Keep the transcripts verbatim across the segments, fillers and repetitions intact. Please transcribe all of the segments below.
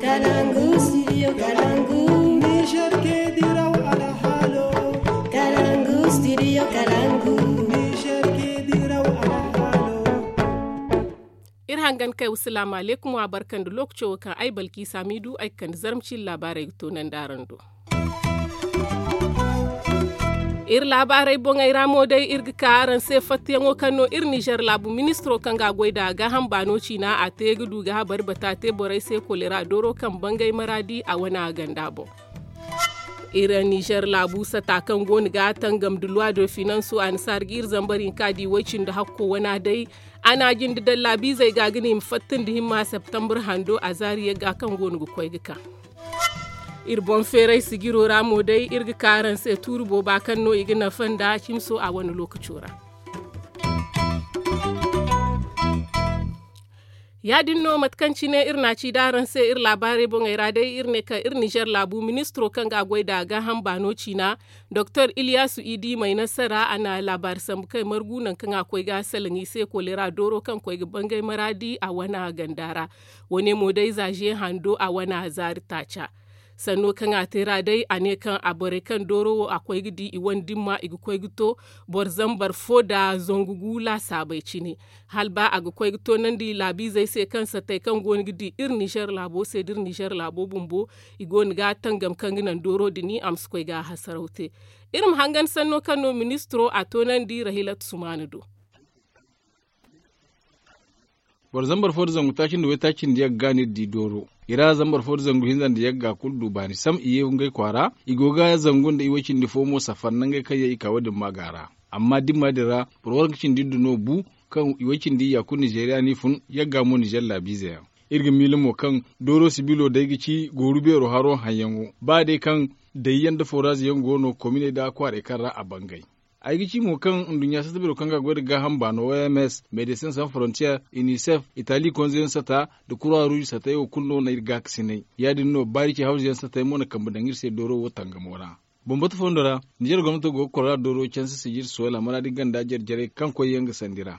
Kalangu studio kalangu. Niger ke diraw alhalo. Kalangu studio kalangu. Niger ke diraw alhalo. Iri hangan kay wasalaamu aleykum wa barkandi lookaco wo kaŋ ay balki saamiidu ay ga kande zarma ciiri laabaarey ga toonandi araŋ do. Iri laabaarey boŋey ra mo day iri ga ka araŋ se fattayaŋo kaŋ no iri nizer laabu ministiro kaŋ ga a goy nd'a gaaham baano ciina a te ga du ga habari bata te borey se kolera dooro kaŋ bangay maraadi a wane a ganda boŋ. Iri nizer laabu sata kaŋ go no ga tangam da luwa do finanso a na saari ga iri zambar hinka di way cindi hakko wana day. A na a jinde daŋ laabiizey ga ga ne i ma fatta nda himma septambur hando a zaari yagga kaŋ go no ga koy ga ka. Iri boŋ feeray sijiro ra mo day iri ga ka araŋ se tuuri booba kaŋ no i ga nafa nda cimso a wane lookaco ra. Ya- din no mate kaŋ cine iri na a ci da araŋ se iri laabaarey boŋey ra day iri ne kaŋ iri nizer laabu ministiro kaŋ ga a goy nd'a gaaham baano ciina doktor iliyasu idi may nasara a na laabaari sambu kay margu nangu kaŋ a koy ga salaŋ i se kolera dooro kaŋ koy ga bangay maraadi a wane a ganda ra. Wo- ne mo day za ze hando a wane a zaari taaca. Sanno kaŋ a te ra day a ne kaŋ a borey kaŋ dooro wo a koy ga di i wane dimma i ga koy ga to boro zambar fo nda zangu gu laasaabey cine. Hala ba a ga koy ga toonandi laabiizey se kaŋ satey kaŋ go no ga di iri nizer laabo se da iri nizer laabo bumbo i go no ga tangam kaŋ ga naŋ dooro din a ma si koy ga a hasaraw te. Iri ma hangan sanno kaŋ no ministiro a toonandi rahilat sumaana do. Boro zambar fo nda zangu taaci nda waytaaci nda yagga no iri di dooro. I ra zambar fo nda zangu hinza nda yagga kulu du baani sam i ye ngey kwaara. I go ga zangu nda iway cindi fo mo safar nangey kaŋ yaŋ i ka wo- din maaga ra. Amma dimma din ra boro waranka cindi iddu no bu kaŋ iway cindi iyya kulu nizeriya no i fun yagga mo nizer laabiize yaŋ. Iri ga miila mo kaŋ dooro sibilo day ga ci gooru beero haro haŋyaŋo ba day kaŋ dayyaŋ nda foraazi yaŋ go no kominey nda kwaarey kaŋ ra a bangay. Ay ga ci mo kaŋ nduɲɲa satta beero kaŋ ga a goy nda gaaham baano oms, medecin sans frontier, unicef, itali konzeyaŋ satta, nda kurwa ruuj sattey wo kulu no na iri gaakasinay. Ya- din no baari ce hawzuyaŋ sattey mo na kambe daŋ iri se dooro wo tangamo ra. Bambata foondo ra nizer gomnato go ga kora dooro canse sijir soola maraadi ganda jare jarey kaŋ koyyaŋ ga sandi ra.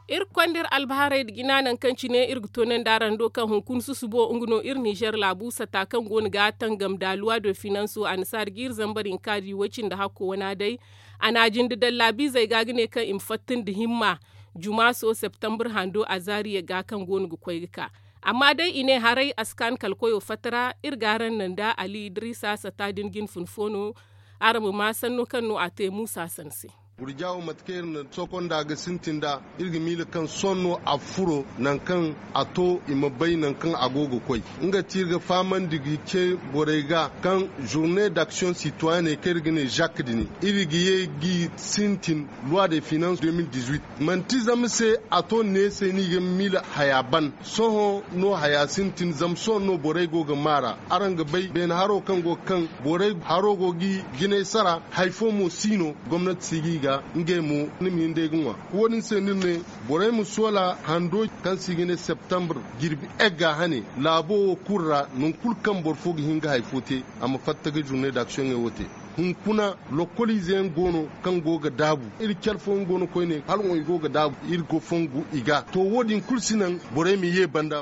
Iri ga konda iri albaharey nda jina nangu kaŋ cine iri ga toonandi araŋ do kaŋ hunkuna susubo nga no iri nizer laabu sata kaŋ go no ga tangam da luwa do finanso a na saari ga iri zambar hinka di way cindi hakko wana day. A na a jinde daŋ laabiizey ga ga ne kaŋ i ma fatta nda himma jumaaso septambur hando a zaari yagga kaŋ go no ga koy ga ka. Amma day i ne haray a si ka ni kala koyo fatta ra. Iri ga araŋ naŋ nda ali idiriisa sata din jine fun fo no. Araŋ ma maa sanno kaŋ no a te muusa san se. Gurja wo mate kaŋ iri na sokonda ga sintin nd'a iri ga miila kaŋ sohõ no a furo nangu kaŋ a to i ma bay nangu kaŋ a go ga koy. Nga ti iri ga fahamandi ga ce borey ga kaŋ journée d'action citoyenne kaŋ iri ga ne jak din iri ga ye g'i sintin loi de finance deux mille dix-huit. Manti zama se a to ne se no i ga miila haya ban. Sohõ no haya sintin zama sohõ no borey go ga maar'a. Araŋ ga bay beene haro kaŋ go ga kaŋ borey haro go ga i jinay sara. Hari fo mo si no gomnati si ga i ga ngey mo ni ma hin day ga ŋwa. Wo- din se no iri ne borey ma soola hando kaŋ se i ga ne septambur jirbi egga hane laabo wo kulu ra nangu kulu kaŋ boro fo ga hin ga hari fo te a ma fatta ga jurney daksiyoŋey wo te. Hunkuna lokoliize yaŋ go no kaŋ go ga daabu iri care fooyaŋ go no koyne hala wo i go ga daabu iri go fongu i ga to wo- din kulu si naŋ borey ma ye banda.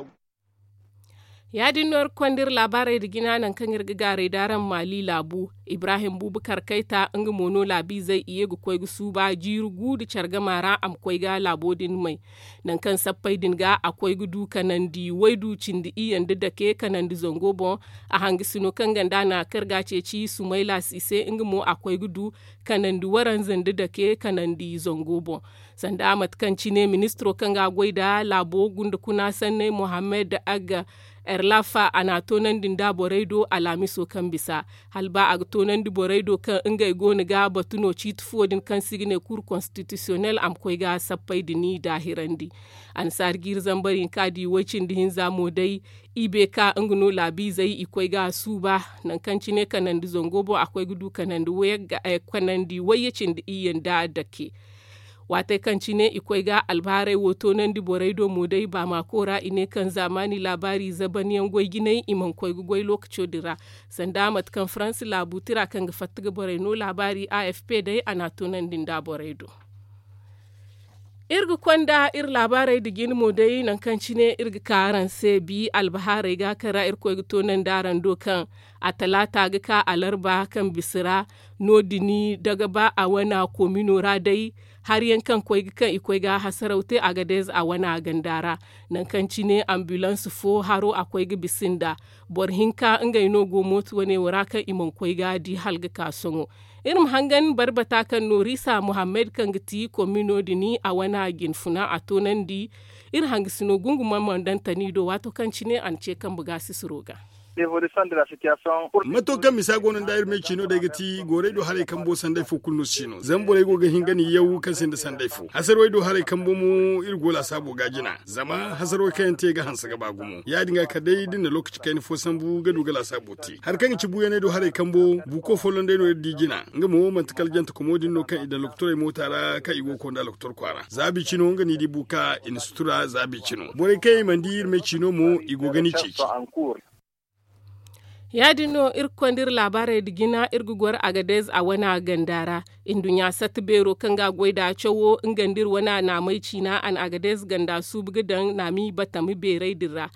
Ya- din no iri ga konda iri laabaarey nda jina nangu kaŋ iri ga gaaray d'araŋ maali laabu. Ibrahim bubakar kayta nga mo no laabiizey i ye ga koy ga suuba jiiri gu nda care gama ra a ma koy ga laabo din may. Nangu kaŋ sappey din ga a koy ga du kanandi waydu cindi iyye nda dake kanandi zango boŋ. A hangasino kaŋ ganda na kar ga a ceeci sumayla si se nga mo a koy ga du kanandi waranza nda dake kanandi zango boŋ. Sanda mate kaŋ cine ministiro kaŋ ga a goy nda laabo gunda kuna sanney mohammed agga erlafa a na a toonandi nda borey do alhamiso kaŋ bisa hala ba a ga toonandi borey do kaŋ ngey go no ga batu no ciiti fuwo din kaŋ se i ga ne kur konstitisiyonel a ma koy ga sappey din daahirandi. Annasaari jiiri zambar hinka di way cindi hinza mo day. I be ka nga no laabiizey i koy ga a suuba nangu kaŋ cine kanandi zango boŋ a koy ga du kanandi wayye cindi iyye nda dake. Waatey kaŋ cine i koy ga albahaarey wo toonandi borey do mo day baamaako ra i ne kaŋ zaamaani laabaari zabanyaŋ goy jinay i mana koy ga goy lookaco din ra. Sanda mate kaŋ faransi laabu tira kaŋ ga fatta ga borey no laabaari a f p day a na a toonandi nda borey do. Iri ga konda iri laabaarey nda jine mo day nangu kaŋ cine iri ga ka araŋ se bi albahaarey ga kaŋ ra irkoy ga toonandi araŋ do kaŋ a talaata ga ka alarba kaŋ bisa ra. No- din daga ba a wana komino ra day hari yaŋ kaŋ koy ga kaŋ i koy ga hasaraw te agadez a wana ganda ra. Nangu kaŋ cine ambulans fo haro a koy ga bisa nda boro hinka ngey no go mooto wane wo ra kaŋ i mana koy ga di hala ga ka sohõ. Iri ma hangan barbata kaŋ no risa muhammad kaŋ ga ti komino din a wana jinfuna a toonandi. Iri hangasino gungumaŋ mana daŋ tani do waato kaŋ cine a na ce kambe ga sisiro ga. Mato kaŋ misa go no nda iri me ciino day ga ti goorey do haray kambo sanday fo kulu no si no zama borey go ga hin ga ni yaw kaŋ sinda sanday fo hasarwey do haray kambo mo iri go laasaabo ga jina. Zama hasarwey kaŋ yaŋ te ga hanse ga ba gumo ya- din ga kala day da ni na lookaci kayna fo sambu ga du ga laasaabo te hari kaŋ ga ci buuyaney do haray kambo buuko folloŋ day no iri di jina. Nga mo manti kala jante komo din no kaŋ i daŋ lokotorey moota ra kaŋ i go ga konda lokotor kwaara zaabi cino nga no i di buuka i na sutura zaabi cino borey kaŋ yaŋ i mana di iri me ciino mo i go ga ni ceeci. Ya- din no iri ga konda iri laabaarey nda jina iri ga goro agadez a wana ganda ra. Nduɲɲa satta beero kaŋ ga a goy nd'a cawo nga nda iri wana naamey ciina a na agadez ganda suubu ga daŋ naami batami beerey din ra.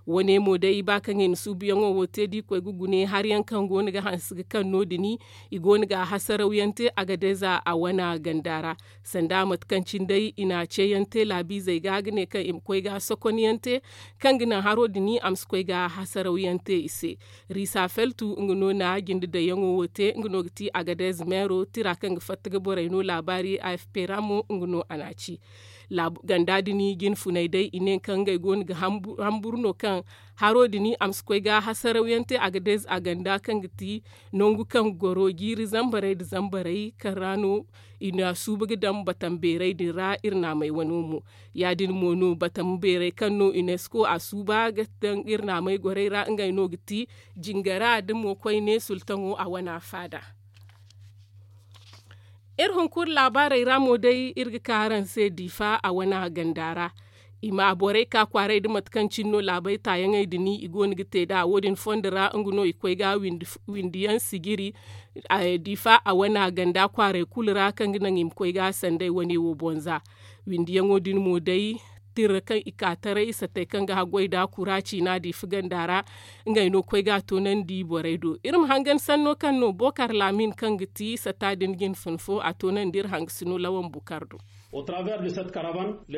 Wane mo day ba kaŋ i na suubuyaŋo wo te da i koy ga gune hari yaŋ kaŋ go no ga hanse ga kaŋ no- din i go no ga a hasarawyaŋ te agadez a wana ganda ra. Sanda mate kaŋ cine day i na a ceeyaŋ te laabiizey ga ga ne kaŋ i ma koy ga sokonyaŋ te kaŋ ga naŋ haro din a ma si koy ga hasarawyaŋ te i se. Riisa feltu nga no na jinde dayyaŋo wo te nga no ga ti agadez meero tira kaŋ ga fatta ga borey no laabaari a f p ra mo nga no a na a ci. Ganda din jinfuney day i ne kaŋ ngey go no ga hamburu no kaŋ haro din a ma si koy ga hasarawyaŋ te agadez a ganda kaŋ ga ti nangu kaŋ goro jiiri zambarey nda zambarey kaŋ ra no i na suuba ga daŋ batam beerey din ra iri naamey wano mo. Ya- din mo no batam beerey kaŋ no unesco a suuba ga daŋ iri naamey gorey ra ngey no ga ti jingara da mo koyne sultaŋo a wana faada. Iri hunkuna laabaarey ra mo day iri ga ka araŋ se diifa a wana ganda ra. I ma borey ka kwaaray nda mate kaŋ cine no laabey taayaŋey din i go no ga te nd'a wo- din fondo ra nga no i koy ga windiyaŋ sijiri. Diifa a wana ganda kwaaray kulu ra kaŋ ga naŋ i ma koy ga sanday wane wo bonza. Windiyaŋo din mo day tira kaŋ i ka taray satey kaŋ ga haggoy nda kura ciina diifa ganda ra. Ngey no koy ga a toonandi borey do iri ma hangan sanno kaŋ no bokar laamin kaŋ ga ti sata din jinfun fo a toonandi iri hangasino lawan bukar do.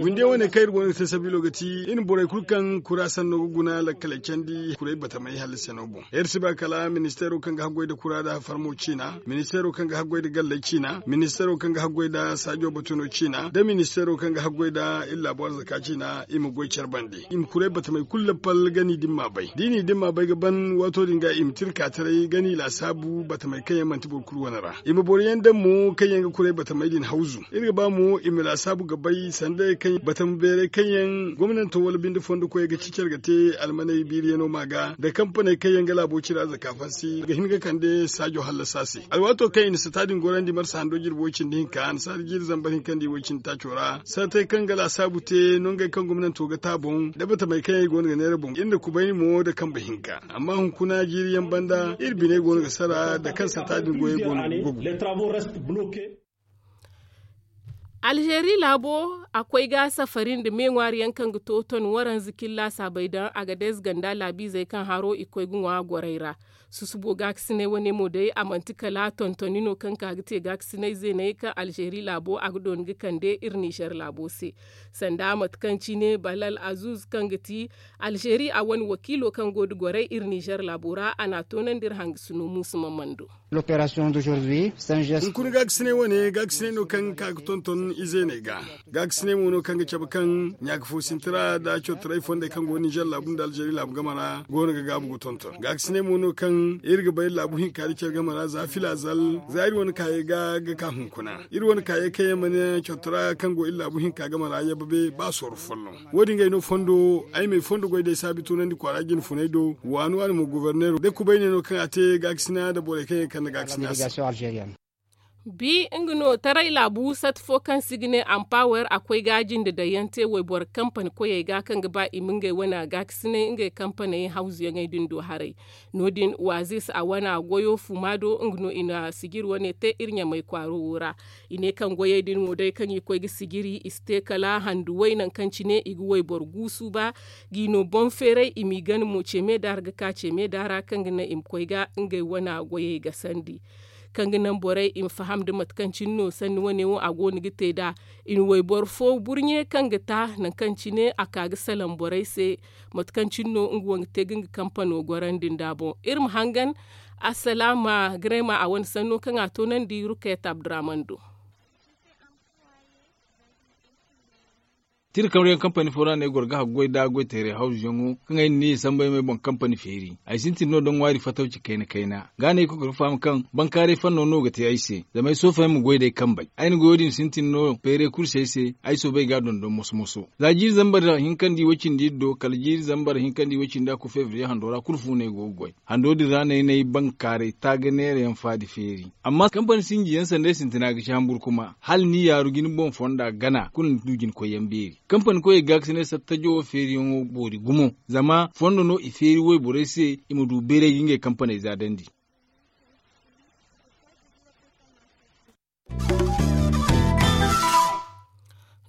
Winde wane kaŋ iri go no ga te sabiilo ga ti iri ma borey kulu kaŋ kura sanno ga guna lakkaley candi kuray batamey hallasi no boŋ iri si ba kala ministeero kaŋ ga haggoy nda kura nda farmo ciina ministeero kaŋ ga haggoy nda galley ciina ministeero kaŋ ga haggoy nda saajo batuno ciina nda ministeero kaŋ ga haggoy nda iri laabo arzaka ciina i ma goy care bande i ma kuray batamey kulu lappal ga ni da ni m'a bay da i n'i da ni m'a bay ga ban waato din ga i ma tira ka taray ga ni laasaabu batamey kaŋ yaŋ manti boro kulu wane ra i ma boro yaŋ daŋ mo kaŋ yaŋ ga kuray batamey din hawzu. Iri ga ba mo i ma laasaabu ga bay sanda yaŋ kaŋ batama beeray kaŋ yaŋ gomnanto wala binde fondo koyey ga ci care ga te almaney biiriyaŋo ma ga nda kampaney kaŋ yaŋ ga laabo cira zaka fansi ga hin ga kande saajo hallasa se alwaato kaŋ i na sata din gorandi marsa hando jirbi way cindi hinka annasaari jiiri zambar hinka nda i way cindi taaco ra sartey kaŋ ga laasaabu te nongey kaŋ gomnanto ga te a boŋ nda batamey kaŋ yaŋ i go no ga neera boŋ iri na kubayni mo nda kambe hinka. Amma hunkuna jiiri yaŋ banda iri biney go no ga sara nda kaŋ sata din goyey go no ga gogu. Alzeeri laabo a koy ga safari nda me ŋwaari yaŋ kaŋ ga to ton waranza killa saabay daŋ agadez ganda laabiizey kaŋ haro i koy ga ŋwa gorey ra. Susubo gaakasinay wane mo day a manti kala tontoni no kaŋ ka ga te gaakasinay zeeney kaŋ alzeeri laabo a ga dooni ga kande iri nizer laabo se. Sanda mate kaŋ cine balal azuz kaŋ ga ti alzeeri a wane wakiilo kaŋ go nda gorey iri nizer laabo ra a n'a toonandi iri hangasino muusu mamando. Hunkuna gaakasinay wane gaakasinay no kaŋ ga ka ga tonton izeeney ga. Gaakasinay mo no kaŋ ga cabe kaŋ ɲaaka fo sinti ra nda cawtaray fondey kaŋ go ninzeer laabu nda alzeeri laabu game ra go no ga gaabu ga tonton gaakasinay mo no kaŋ iri ga bay iri laabu hinka nda care game ra za filazal za iri wane kaayey ga ga ka hunkuna iri wane kaayey kaŋ yaŋ mana cawtara kaŋ go iri laabu hinka game ra yabba be ba sooro folloŋ. Wo- din ga ay no fondo ay ma ay fondo goy day saabi tunandi kwaara jinfunay do waani waani mo goborneero day kubayne no kaŋ a te gaakasina nda borey kaŋ yaŋ ga kande gaakasina se. Bi nga no taray laabu sat fo kaŋ se i ga ne ampower a koy ga jinde daŋ yaŋ te wayboro kampani koyey ga kaŋ ga ba i ma ngey wane gaakasinay ngey kampaney hawzuyaŋey din do haray. No- din waazis a wane goyo fuma do nga no i na sijiri wane te iri ɲamay kwaaro wo ra. I ne kaŋ goyey din wo day kaŋ i koy ga sijiri i si te kala handu way nangu kaŋ cine i ga wayboro guusu ba, g'i no boŋ feeray i m'i gana mo ceeme da ra ga ka ceeme da ra kaŋ ga naŋ i ma koy ga ngey wane goyey gasandi. Kaŋ ga naŋ borey i ma faham nda mate kaŋ cine no sanni wane wo a go no ga te nd'a. I na wayboro fo burɲe kaŋ ga ta nangu kaŋ cine a ka ga salaŋ borey se, mate kaŋ cine no nga wo ga te ga nga kampano gorandi nd'a boŋ. Iri ma hangan assalaama garema a wane sanno kaŋ a toonandi rukayat abdurrahman do. Tira kamriyaŋ kampani fo ra no ay goro ga haggoy nda goy teeray hawzuyaŋo kaŋ ay na ne i samba ay ma ay boŋ kampani feeri. Ay sintin no da ŋwaari fatawci kayna kayna ga no ay koy ga faham kaŋ bankaaray fanno no ga te ay se zama ay soofo ay ma goy d'ay kambey. Ay na goyo din sintin no feeray kulu se ay se. Ay soobay ga a dondon moso moso za jiiri zambar hinkandi way-cindi iri do kala jiiri zambar hinkandi way-cindi a kulu febriye hando ra kulu fu no ay go ga goy. Hando din ra no ay na ay bankaaray taaga neera yaŋ faadi feeri. Amma kampani sinji yaŋ sanda ay sintina ga ci hamburu kuma hala ni yaaru ga ni boŋ fonda gana kulu ni du jina koy yaŋ beeri. Kampani koyey ga ga si ne sattajo wo feeriyaŋo boori gumo zama fondo no i feeri wayborey se i ma du bayray ga ngey kampaney zaadandi.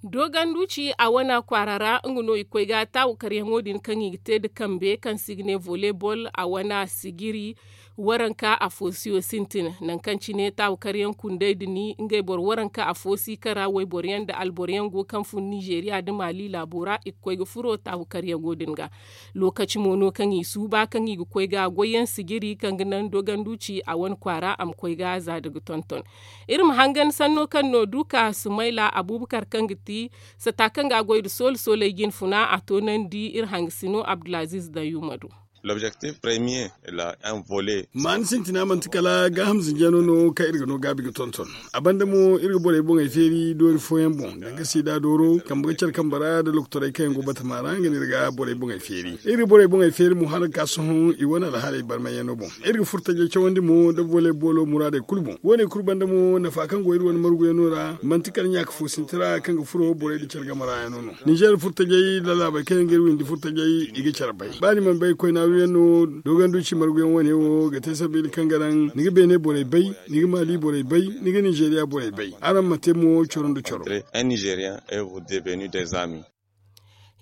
Doganduci a wana kwaara ra nga no i koy ga taawu karyaŋo din kaŋ i ga te nda kambe kaŋ se i ga ne volebol a wana sijiri. Waranka afo siyo sintin nangu kaŋ cine taawu karyaŋ kundey din ngey boro waranka afo si kara wayboro yaŋ nda alboro yaŋ go kaŋ fun nizeeriya nda maali laabo ra i ga koy ga furo taawu karyaŋo din ga. Lookaci mo no kaŋ i suuba kaŋ i ga koy ga goy yaŋ sijiri kaŋ ga naŋ doganduci a wane kwaara a ma koy ga za da ga tonton. Iri ma hangan sanno kaŋ no duka sumayla abuubakar kaŋ ga ti sata kaŋ ga a goy nda soole sooley jinfuna a toonandi iri hangasino abdulaziiz dayuma do. L'objectif premier la un volet. Maani sintina manti kala gaaham zinjano no kaŋ iri ga no gaabi ga tonton. A banda mo iri ga borey boŋey feeri doori fooyaŋ boŋ danga siida dooro kambe ga care kambe ra nda lokotorey kaŋ yaŋ go batama ra nga no iri ga borey boŋey feeri. Iri ga borey boŋey feeri mo hala ga ka sohõ i wane alhaaley barmayyaŋo boŋ. Iri ga furo tajey cawandi mo nda volley boolo muraadey kulu boŋ wo- ne kulu banda mo nafa kaŋ go iri wane marguyaŋo ra manti kala ɲaaka fo sinti ra kaŋ ga furo borey nda care game ra yaŋo no. Nizeer furo tajey lallaabey kaŋ yaŋ ga iri windi furo tajey i ga care bay ba ni mana bay koy naaru yaŋ no. Doganduci marguyaŋ wane wo ga te sabiila kaŋ ga naŋ ni ga beene borey bay, ni ga maali borey bay, ni ga nizeeriya borey bay. Araŋ ma te mo coro nda coro.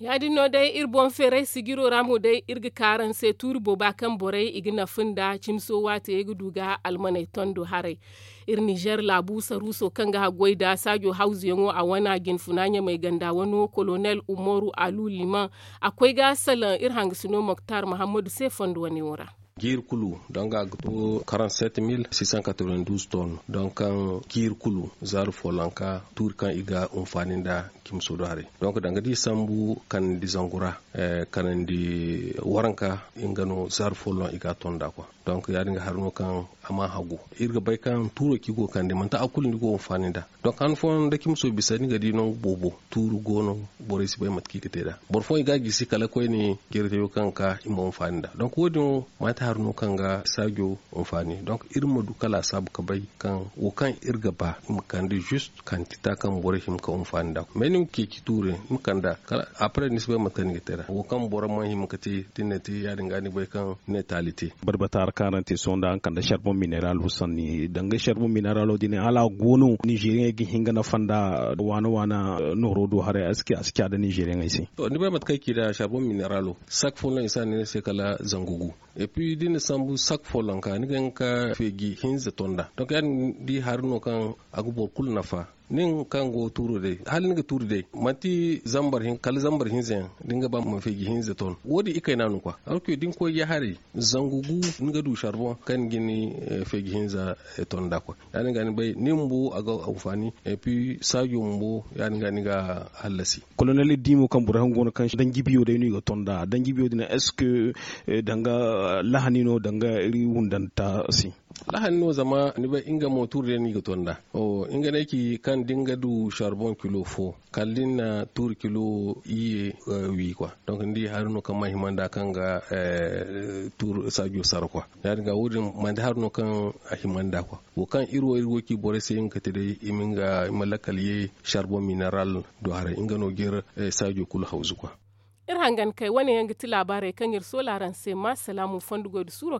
Ya- din no day iri boŋ feeray sijiro ra mo day iri ga ka araŋ se tuuri booba kaŋ borey i ga nafa nda cimso waate ga du ga almaney tondo haray. Iri nizeer laabu saruuso kaŋ ga haggoy nda saajo hawzuyaŋo a wana jinfuna ɲamey ganda wano kolonel umaru alu liman a koy ga salaŋ iri hangasino moktar mahammadu se fondo wane wo ra. Jiiri kulu donga ga to quarante sept mille six cent quatre vingt douze tonnes donk kaŋ jiiri kulu zaaru follonka tuuri kaŋ i ga hunfaani nda cimso do haray. Donk danga da i sambu kanandi zangu ra kanandi waranka nga no zaaru folloŋ i ga a ton nd'a kwa. Donk ya- din ga hari no kaŋ a ma hagu iri ga bay kaŋ tuuro kaŋ i go ga kande manti a kulu no i go ga hunfaani nd'a. Donk han fooyaŋ da cimso bisa ni ga di nangu boobo tuuru go no. Borey si bay mate kaŋ i ga te nd'a boro fooyaŋ i ga a gisi kala koyne jeeritayo kaŋ ga ka i ma hunfaani nd'a donk wo- din wo maate hari no kaŋ ga saajo hunfaani donk iri ma du ka laasaabu ka bay kaŋ wo kaŋ iri ga ba i ma kande zist kantita kaŋ borey hima ka hunfaani nd'a. Mais ni ma ceeci tuure ni ma kand'a kala après ni si bay mate kaŋ ni ga te nd'a wo kaŋ boro mana hima ka te da ni na te ya- din ga ni bay kaŋ ni na taali te. Barbata ra kaŋ araŋ te sohõ nda araŋ kande charbon mineral wo sanni danga charbon mineral wo din hala a go no nizeeriyaŋey ga hin ga nafa nda waana waana nooro do haray a si ca da nizeeriyaŋey se. To ni bay mate kaŋ ay ci nda charbon mineral wo sak fo no i si a ne ni se kala zangu gu. Et puis da ni na sambu sak follonka ni ga hin ga ka feeji hinza ton nd'a donk ya- din di hari no kaŋ a ga boro kulu nafa. Nin kaŋ go ga tuuru day hala ni ga tuuru day manti zambar hinza yaŋ da ni ga ba ma feeji hinza ton wo- din ikayna no kwa. Alorki da ni koy ya haray zangu gu ni ga du charbon kaŋ ni ga ni feeji hinza ton nd'a kwa. Ya- din ga ni bay ni bumbo a ga hunfaani. Et puis saajo bumbo ya- din ga ni ga a hallasi. Kolonel iri di mo kaŋ boro yaŋ go no kaŋ danji biyo day no i ga ton nd'a danji biyo din est ce que danga lahani no danga iri wundanta se? Lahani no zama ni bay nga mo tuuri day no i ga to nd'a. Nga no ay ci kaŋ da ni ga du sarboŋ kilo fo kala da ni na tuuri kilo iyye wi kwa. Donk ni di hari no kaŋ mana hima nd'a kaŋ ga tuuri saajo sara kwa. Ya- din ga wo- din manti hari no kaŋ a hima nd'a kwa. Wo kaŋ iri wo iri go ci borey se nga ga te day i ma nga i ma lakkal ye sarboŋ mineral do haray nga no ga iri saajo kulu hawzu kwa. Iri hangan kay wane yaŋ ga ti laabaarey kaŋ iri soola araŋ se ma salaamu fondo goy da suuro.